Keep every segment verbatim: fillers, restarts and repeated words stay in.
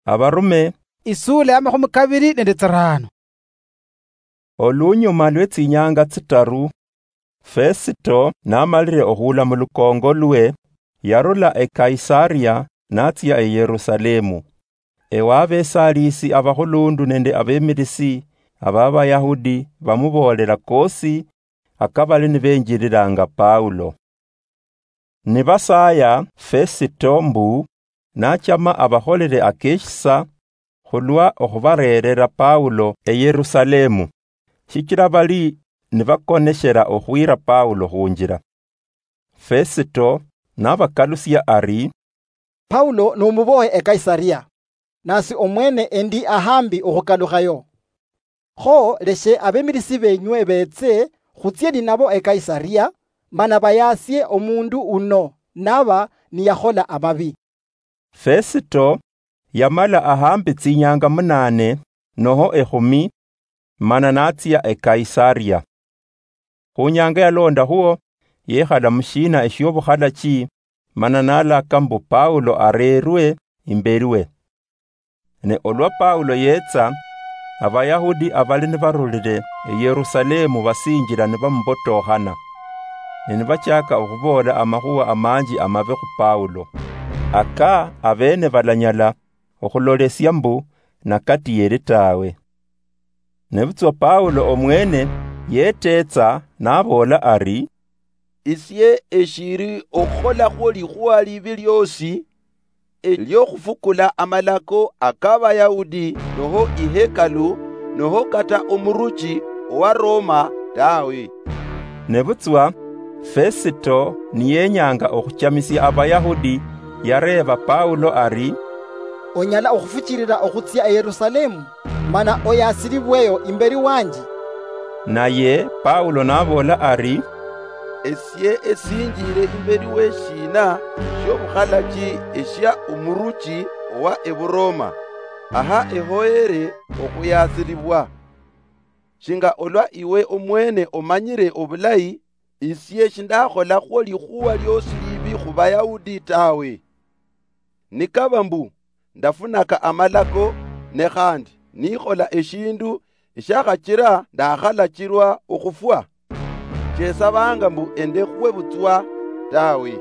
Abarume, isula ya makhumi kabiri nende tsirano. Olunyuma lwe tsinyanga tsitaru, Fesito namalire okhula mu lukongo lwe, yarula e Kaisaria natsia e Yerusalemu. Ewa abesalisi abakhulundu nende abemilisi aba Bayahudi bamubolela kosi akabali nibenjililanga Paulo. Nibasaya Fesito mbu nachama abakholele akeshisa khulwa okhubareerera Paulo e Yerusalemu, shichila bali nibakoneshela okhwira Paulo khunjila. Fesito nabakalusia ari, Paulo nomubohe e Kaisaria, nasi omwene endi ahambi okhukalukhayo. Kho leshe abemilisi benywe beetse khutsie ninabo e Kaisaria, mana bayasie omundu uno naba niyakhola amabi. Fesito yamala ahambi tsinyanga munane noho ekhumi, mana natsia e Kaisaria. Khunyanga yalondakhwo, yekhala mushiina eshiobukhalaki, mana nalaka mbu Paulo arerwe imbeliwe. Ne olwa Paulo yetsa, Abayahudi abali nibarulile e Yerusalemu basinjila nibamubotokhana, ne nibachaka okhuboola amakhuwa amanji amabe khu Paulo, aka abene balanyala okhulolesia mbu nakatiyeli tawe. Nebutswa Paulo omwene yetetsa naboola ari, isie eshiri okhukholakho likhuwa libi liosi eliokhufukula amalako akabayahudi, noho ihekalu, noho kata omuruchi owa Roma tawe. Nebutswa Fesito niyenyanga okhuchamisia Abayahudi, yareeba Paulo ari, onyala okhufuchilila okhutsia e Yerusalemu, mana oyasilibweyo imbeli wanje? Naye Paulo naboola ari, esie esinjile imbeli weshiina shiobukhalaki eshia omuruchi owa Eburoma, aha ehoyere okhuyasilibwa? Shinga olwa iwe omwene omanyire obulayi, isie shindakholakho likhuwa liosi libi khubayahudi tawe. Nikaba mbu ndafunaka amalako, ne khandi nikhola eshindu eshiakhachira ndakhalachirwa okhufwa, shesabanga mbu endekhwe butswa tawe.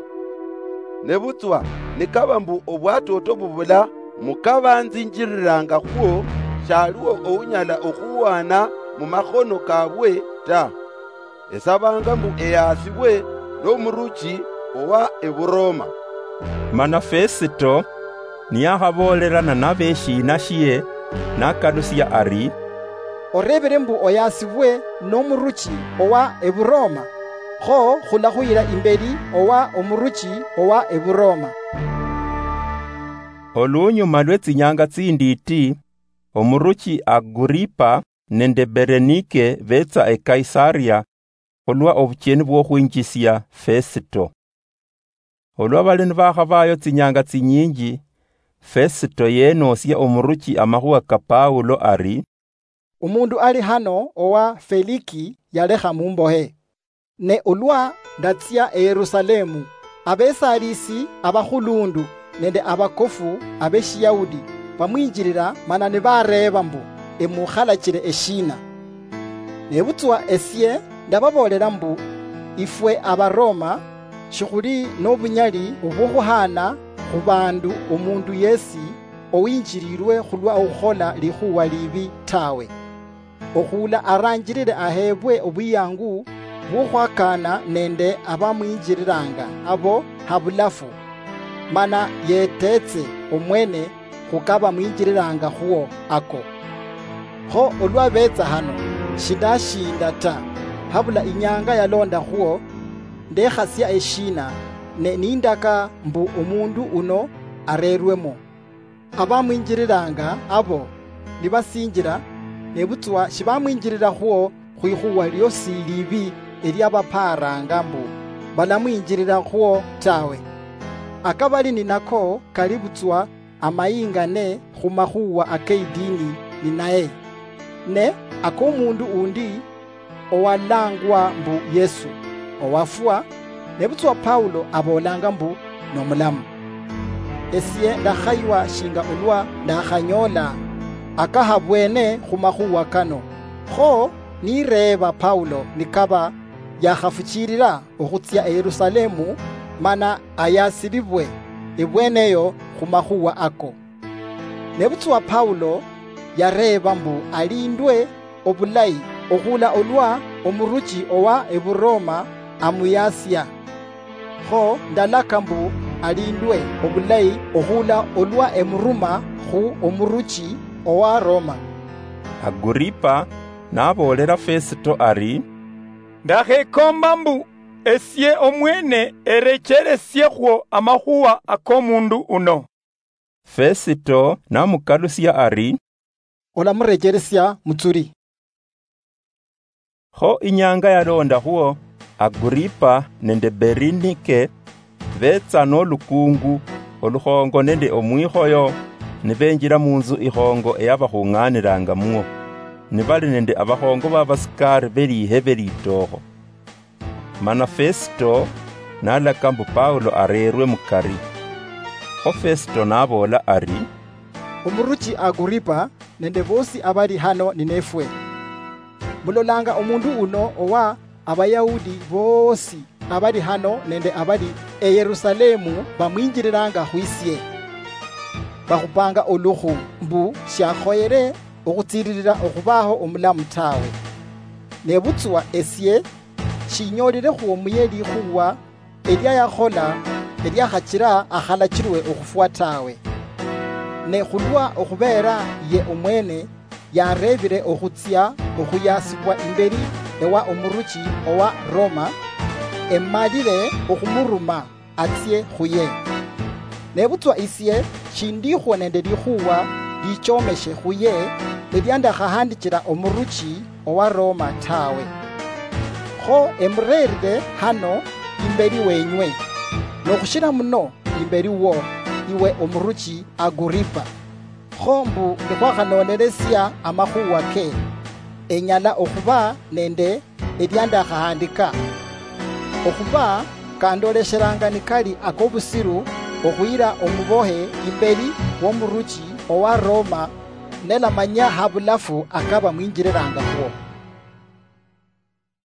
Nebutswa nikaba mbu obwatoto bubula mukabanzinjirirangakhwo, shaliwo ounyala okhuwana mumakhono kabwe ta. Esabanga mbu eyasibwe nomuruchi owa Eburoma. Mana Fesito niyakhaboolelana nabo eshiina shie, nakalusia ari, orebere mbu oyasibwe nomuruchi owa Eburoma, kho khulakhuyira imbeli owa omuruchi owa Eburoma. Olunyuma lwe tsinyanga tsinditi, omuruchi Aguripa nende Berenike betsa e Kaisaria khulwa obucheni bwokhwinjisia Fesito. Olwa bali nibakhabayo tsinyanga tsinyinji, Fesito yenosia omuruchi amakhuwa ka Paulo ari, umundu ali hano owa Feliki yalekha mumbohe. Ne olwa ndatsia e Yerusalemu, abesalisi abakhulundu nende abakofu abeshiyahudi bamwinjilila mana nibareeba mbu, emukhalachile eshiina? Nebutswa esie ndababoolela mbu, ifwe Abaroma shikhuli nobunyali obwokhuhaana khubandu omundu yesi owinjililwe khulwa okhukhola likhuwa libi tawe. Okhula aranjilile aheebwe obwiyangu bwokhwakaana nende abamwinjililanga abo habulafu, mana yeteetse omwene khukabamwinjililanga khwo ako. Kho olwa beetsa hano, shindashinda ta, habula inyanga yalondakhwo, ndekhasia eshiina, ne nindaka mbu omundu uno arerwemo. Abamwinjililanga abo nibasinjila, nebutswa shibamwinjililakhwo khwikhuwa liosi libi eliabapaaranga mbu balamwinjililakhwo tawe. Akabali ninako kali butswa amayingane khumakhuwa akeidini ninaye, ne akomundu undi owalangwa mbu Yesu, owafwa, nebutswa Paulo abolanga mbu nomulamu. esie ndakhaywa shinga olwa ndakhanyoola akahabweene khumakhuwa kano. Kho nireeba Paulo nikaba yakhafuchiilila okhutsia e Yerusalemu, mana ayasilibwe ebweneyo khumakhuwa ako. Nebutswa Paulo yareeba mbu alindwe obulayi okhula olwa omuruchi owa Eburoma amuyasia. Kho ndalaka mbu alindwe obulayi okhula olwa emuruma khu omuruchi owa Roma. Aguripa naboolela Fesito ari, ndakhekomba mbu esie omwene erecheresiekho amakhuwa akomundu uno. Fesito namukalusia ari, olamurecheresia mutsuri. Kho inyanga yalondakhwo, Aguripa nende Berinike betsa nolukungu, olukhongo nende omwikhoyo, nibenjila munzu ikhongo eyabakhung'anilangamwo, nibali nende abakhongo babasikari belihe belitookho. Mana Fesito nalaka mbu Paulo areerwe mukari. Kho Fesito naboola ari, omuruchi Aguripa nende bosi abali hano ninefwe, mulolanga omundu uno owa Abayahudi bosi abali hano nende abali e Yerusalemu bamwinjililanga khwisie. Bakhupanga olukhu mbu shiakhoyere okhutsililila okhubaho omulamu tawe. Nebutswa esie shinyoolile khwomuye likhuwa elia yakhola eliakhachila akhalachilwe okhufwa tawe. Ne khulwa okhubeera ye omwene yareebile okhutsia okhuyasibwa imbeli ewa omuruchi owa Roma, emalile okhumuruma atsie khuye. Nebutswa isie shindikhwo nende likhuwa lichomeshe khuye elia ndakhahandichila omuruchi owa Roma tawe. Kho emureerire hano imbeli wenywe, nokhushila muno imbeli wo, iwe omuruchi Aguripa. Kho mbu nikhwakhanoonelesia amakhuwa ke, enyala okhuba nende elia ndakhahandika, okhuba kandoleshelanga nikali akobusiru okhuyila omubohe imbeli womuruchi owa Roma, nelamanya habulafu akaba mwinjililanga khwo.